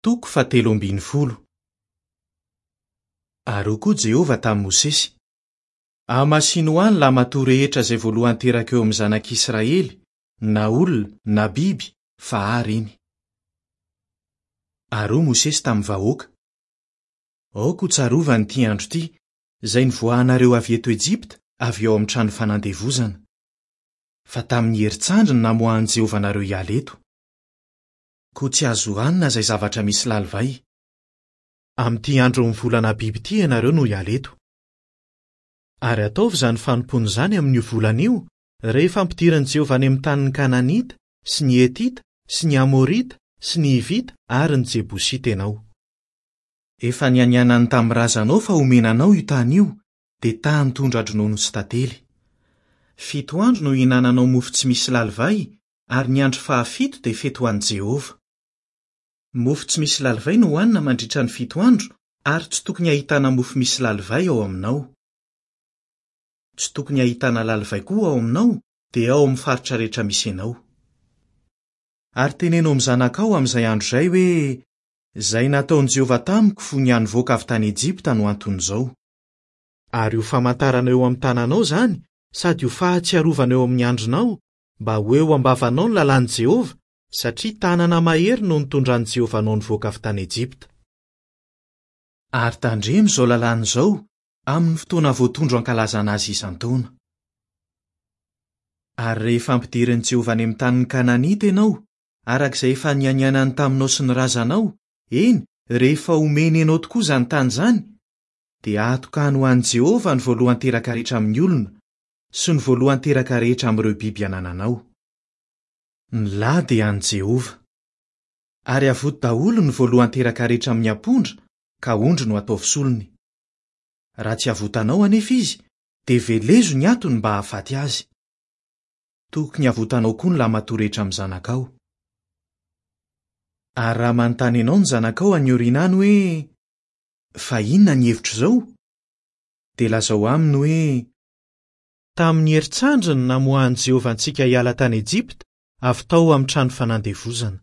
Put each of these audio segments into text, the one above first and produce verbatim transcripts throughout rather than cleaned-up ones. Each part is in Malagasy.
Toko fahatelo ambin'ny folo. Ary hoy koa Jehovah tamin'i Mosesy: Hamasino ho ahy ny lahimatoa rehetra izay voalohany teraka eo amin'ny zanak'Israely, na olona na biby, fa ahy ireny. Ary hoy Mosesy tamin'ny vahoaka: Aoka ho tsarovana ity andro ity, izay nivoahanareo avy eto Ejipta, avy ao amin'ny trano fanandevozana. Fa tamin'ny herin-tsandry no namoahan'i Jehovah anareo hiala eto. Koa tsy azo hohanina izay zavatra misy lalivay. Amin'ity andron'ny volana Abiba ity ianareo no hiala eto. Ary ataovy izany fanompoana izany amin'io volana io, rehefa ampidirin'i Jehovah any amin'ny tanin'ny Kananita sy ny Hetita sy ny Amorita sy ny Hivita ary ny Jebosita ianao. Efa nianianany tamin'ny razanao fa homena anao io tany io, dia tany tondra-dronono sy tantely. Fito andro no hihinananao mofo tsy misy lalivay, ary ny andro fahafito dia fety ho an'i Jehovah. Mofo tsy misy lalivay no hohanina mandritra ny fito andro, ary tsy tokony hahitana mofo misy lalivay ao aminao. Tsy tokony hahitana lalivay koa ao aminao, dia ao amin'ny faritra rehetra misy anao. Ary teneno amin'ny zanakao amin'izay andro izay hoe: Izay nataon'i Jehovah tamiko fony aho nivoaka avy tany Ejipta no anton'izao. Ary ho famantarana eo amin'ny tananao izany, sady ho fahatsiarovana eo amin'ny andronao, mba ho eo am-bavanao ny lalàn'i Jehovah, satria tanana mahery no nitondran'i Jehovah anao nivoaka avy tany Ejipta. Ary tandremo izao lalàna izao amin'ny fotoana voatondro ankalazana azy isan-taona. Ary rehefa ampidirin'i Jehovah any amin'ny tanin'ny Kananita ianao, araka izay efa nianianany taminao sy ny razanao, eny, rehefa omeny anao tokoa izany tany izany, dia atokany ho an'i Jehovah ny voalohan-teraka rehetra amin'ny olona sy ny voalohan-teraka rehetra amin'ireo biby anananao. Ny lahy dia an'i Jehovah. Ary avoto daholo ny voalohan-teraka rehetra amin'ny ampondra, ka ondry no ataovy solony. Raha tsy avotanao anefa izy, dia velezo ny atony mba hahafaty azy. Tokony avotanao koa ny lahimatoa rehetra amin'ny zanakao. Ary raha manontany anao ny zanakao any aoriana any hoe: Fa inona ny hevitr'izao? Dia lazao aminy hoe: Tamin'ny herin-tsandry no namoahan'i Jehovah antsika hiala tany Ejipta, avy tao amin'ny trano fanandevozana.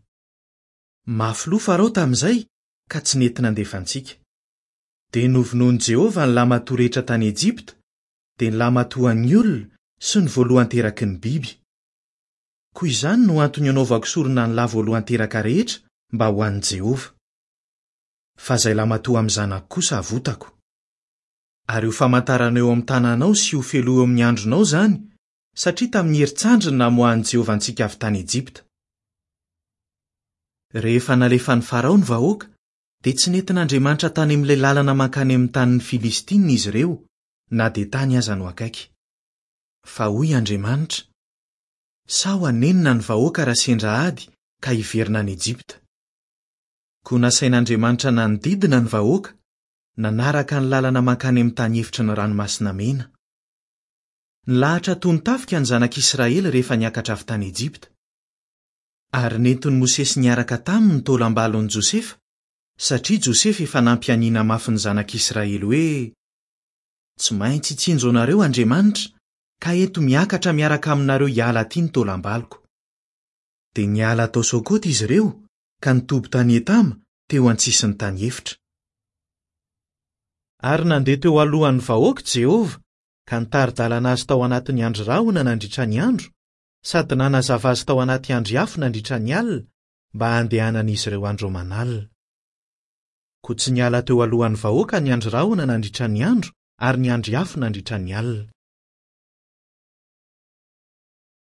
Mafy loha Farao tamin'izay, ka tsy nety nandefa antsika. Dia novonoin'i Jehovah ny lahimatoa rehetra tany Ejipta, dia ny lahimatoan'ny olona sy ny voalohan-teraky ny biby. Koa izany no antony anaovako sorona ny lahy voalohan-teraka rehetra mba ho an'i Jehovah. Fa izay lahimatoa amin'ny zanako kosa avotako. Ary ho famantarana eo amin'ny tananao sy ho fehiloha eo amin'ny andronao izany, satria tamin'ny herin-tsandry no namoahan'i Jehovah antsika avy tany Ejipta. Rehefa nalefan'i Farao ny vahoaka, dia tsy nentin'Andriamanitra tany amin'ilay lalana mankany amin'ny tanin'ny Filistina izy ireo, na dia tany aza no akaiky. Fa hoy Andriamanitra: Sao hanenina ny vahoaka raha sendra ady ka hiverina any Ejipta. Koa nasain'Andriamanitra nanodidina ny vahoaka, nanaraka ny lalana mankany amin'ny tany efitry ny ranomasina mena. Nilahatra toy ny tafika ny zanak'Israely rehefa niakatra avy tany Ejipta. Ary nentin'i Mosesy niaraka taminy ny taolam-balon'i Josefa, satria Josefa efa nampianiana mafy ny zanak'Israely hoe: Tsy maintsy hitsinjo anareo Andriamanitra, ka ento miakatra miaraka aminareo hiala aty ny taolam-baloko. Dia niala tao Sokota izy ireo, ka nitoby tany Etama, teo an-tsisin'ny tany efitra. Ary nandeha teo alohan'ny vahoaka Jehovah, ka nitari-dalana azy tao anatin'ny andry rahona nandritra ny andro, sady nanazava azy tao anaty andry afo nandritra ny alina, mba handehanan'izy ireo andro aman'alina. Koa tsy niala teo alohan'ny vahoaka ny andry rahona nandritra ny andro, ary ny andry afo nandritra ny alina.